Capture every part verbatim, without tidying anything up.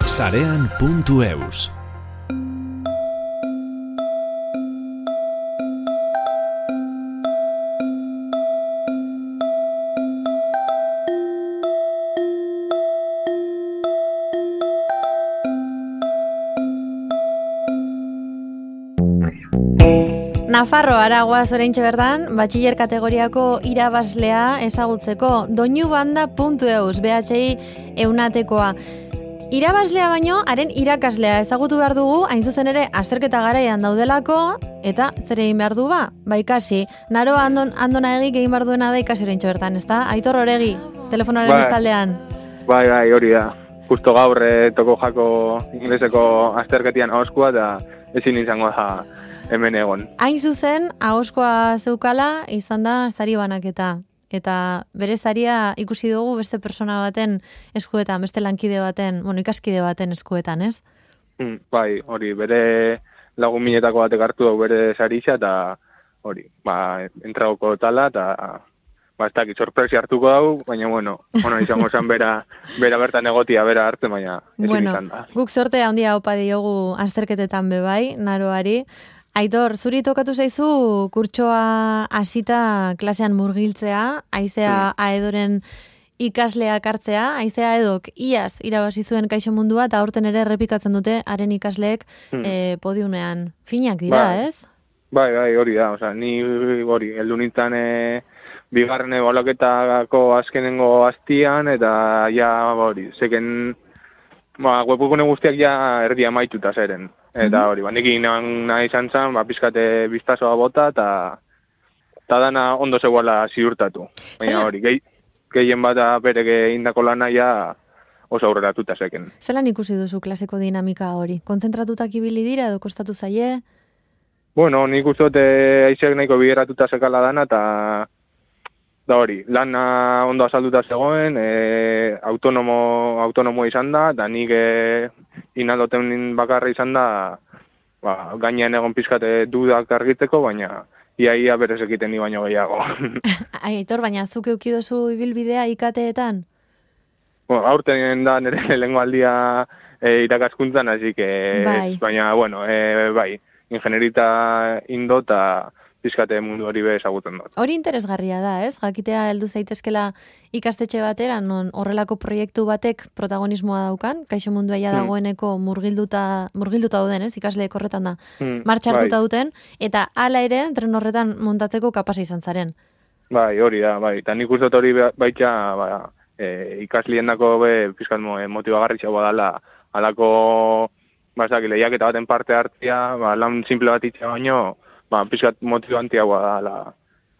sarean puntu eus. Nafarro Aragoaz oraintxe bertan, batxiller kategoriako irabaslea ezagutzeko doinu banda puntu eus, B H I eunatekoa. Irabaslea baino, haren irakaslea ezagutu behar dugu, hain zuzen ere, azterketa garaian daudelako, eta zer egin behar du ba? Ba ikasi, naro andon, andona egi egin behar duena da ikasi oraintxe bertan, ezta? Aitor Oregi, telefonoaren bai, bestaldean. Bai, bai, hori da. Justo gaur eh, toko jako ingleseko azterketian ahoskua, eta ezin izango da hemen egon. Hain zuzen, ahoskoa zeukala, izan da sari banaketa. Eta bere saria ikusi dugu beste persona baten eskuetan, beste lankide baten, bueno, ikaskide baten eskuetan, ez? Mm, bai, hori, bere lagun minetako batek hartu dugu bere saritza, eta hori, ba, entragoko tala, eta ba, ez dakit, sorpresi hartuko dugu, baina, bueno, ona izango zen bera, bera bertan egotia, bera hartzen, baina ezin bueno, izan da. Guk sorte handia opa diogu azterketetan bebai, naroari. Aitor, zuri tokatu zaizu kurtsoa hasita klasean murgiltzea, Aizea mm. Aedoren ikasleak hartzea, Aizea Aedok iaz irabazi zuen Kaixo Mundua, eta aurten ere errepikatzen dute haren ikasleek mm. e, podiumean. Finak dira, bai. Ez? Bai, bai, hori da, osea, ni hori, heldu nintzen e, bigarren ebaluaketako azkenengo hastian, eta ja, hori, zeken, ba, webgune guztiak ja erdia amaituta zeren. Eta hori, ba, nik nahi izan zen, ba, pizkate biztazoa bota, eta eta dana ondo zegoela ziurtatu. Baina hori, gehi, gehien bat bereke indako lana ja oso aurreratuta zeken. Zelan ikusi duzu klaseko dinamika hori? Kontzentratutak ibili dira edo kostatu zaie? Bueno, nik uste dute aizeak nahiko bideratuta zekala dana, eta da hori, lana ondo azalduta zegoen, e, autonomo, autonomo izan da, eta nik e, inaldoten bakarra izan da, ba, gainean egon pizkate dudak argitzeko, baina iaia berez egiten ni baino gehiago. Aitor, baina zuk eukidozu ibilbidea ikateetan? Bueno, aurten da nire lehengo aldia e, irakaskuntzan, hasi que, bai. Baina, bueno, e, bai, ingenerita indo eta pizkate mundu hori be ezagutzen dut. Hori interesgarria da, ez? Jakitea heldu zaitezkela ikastetxe batera, non horrelako proiektu batek protagonismoa daukan, Kaixo Mundua ja dagoeneko murgilduta, murgilduta dauden, ez? Ikasleek horretan da, hmm, martxa hartuta bai. duten, eta hala ere, tren horretan montatzeko kapasa izan zaren. Bai, hori da, bai. Eta nik uste dut hori baita, ba, e, ikasliendako be pizkat motibagarritxea badala, halako, ba, ezak, lehiaketa baten parte hartzia, ba, lan simple bat itxea baino, ba, pizkat motibantiagoa da ala,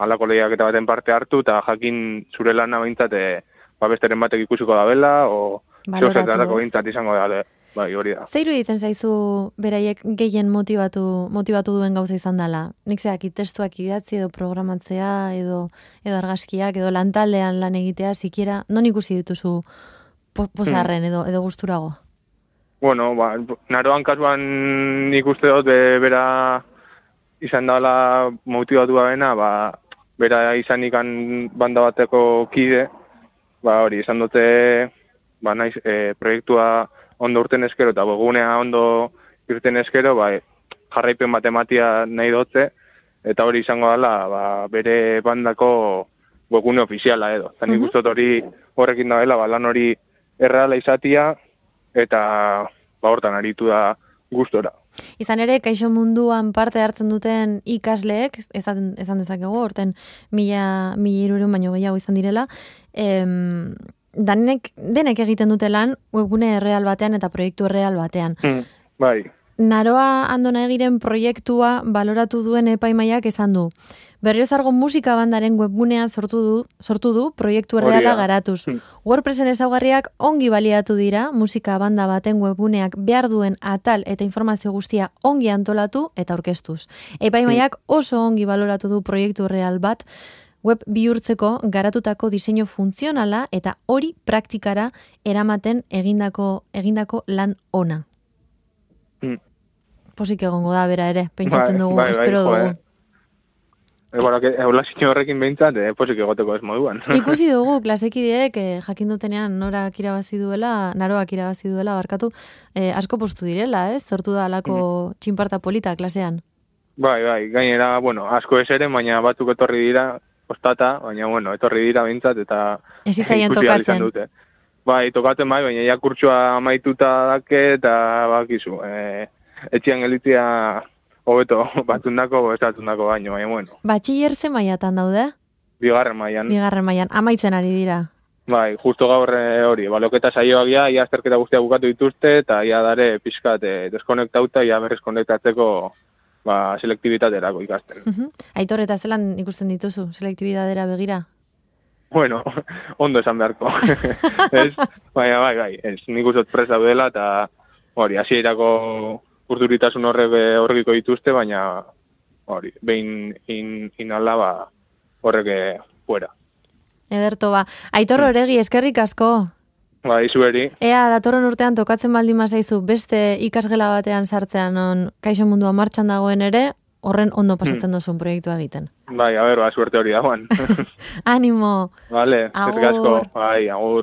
alako lehiaketa baten parte hartu, eta jakin zure lana behintzat, ba, besteren batek ikusiko da bela, o zeozetarako behintzat izango da, bai, hori da. Zeiru ditzen zaizu beraiek gehien motivatu, motivatu duen gauza izan dela? Nik zeak, testuak idatzi edo programatzea, edo, edo argazkiak, edo lantaldean lan egitea, sikiera, non ikusi dituzu po, posarren edo, edo gusturago? Bueno, ba, naroan kasuan nik uste dut be, bera izan dela motibatu bena, ba, bera izan ikan banda bateko kide, ba, hori, izan dute, ba, naiz, e, proiektua ondo urten eskero, eta bogunea ondo irten eskero, ba, jarraipen bat ematia nahi dute, eta hori izango dela, ba, bere bandako webgune ofiziala edo. Eta nik uste hori horrekin da dela, ba, lan hori erreala izatia, eta ba, hortan aritu da gustora. Izan ere, Kaixo Munduan parte hartzen duten ikasleek, esan, esan dezakegu, horten mila, mila irureun baino gehiago izan direla, em, danek, denek egiten dute lan webgune erreal batean eta proiektu erreal batean. Mm, bai. Naroa Andona Egiren proiektua baloratu duen epaimaiak esan du. Berriozargo musika bandaren webgunea sortu du, sortu du proiektu erreala garatuz. Hmm. WordPressen ezaugarriak ongi baliatu dira, musika banda baten webguneak behar duen atal eta informazio guztia ongi antolatu eta aurkeztuz. Epaimaiak oso ongi baloratu du proiektu erreal bat, web bihurtzeko garatutako diseinu funtzionala eta hori praktikara eramaten egindako, egindako lan ona. Hmm. Posik egongo da bera ere, pentsatzen bai, dugu, bai, espero bai, dugu. Egola zine horrekin behintzat, eh, posik egoteko ez moduan. Ikusi dugu, klasekideek eh, jakin dutenean norak irabazi duela, naroak irabazi duela, barkatu, eh, asko postu direla, ez? Sortu da alako mm. txinparta polita klasean. Bai, bai, gainera, bueno, asko ez ere, baina batzuk etorri dira, ostata, baina, bueno, etorri dira behintzat, eta ez hitzaien tokatzen. Dute. Bai, tokatzen bai, baina ja kurtsua amaituta dake, eta bakizu, eh, etxian gelitzia hobeto batundako, estatundako baino, baina, bueno. Batxiller ze mailatan daude? Bigarren mailan. Bigarren mailan, amaitzen ari dira. Bai, justo gaur hori, baloketa saioak ja, ia azterketa guztia bukatu dituzte, eta ia dare pixkat eh, deskonektauta, ia berriz konektatzeko ba, selektibitaterako ikasten. Uh-huh. Aitor, eta zelan ikusten dituzu, selektibitadera begira? Bueno, ondo esan beharko. Ez, baina, bai, bai, ez, nik uzot presa duela, eta hori, hasierako urduritasun horrek horrekiko dituzte, baina hori, behin in, inala, ba, horrek fuera. Ederto, ba. Aitor Oregi, eskerrik asko. Ba, izueri. Ea, datorren urtean tokatzen baldin mazaizu, beste ikasgela batean sartzean, on, kaixo mundua martxan dagoen ere, horren ondo pasatzen duzun proiektua egiten. Bai, a ber, ba, suerte hori dagoan. Animo. Vale, eskerrik asko. Bai, agur.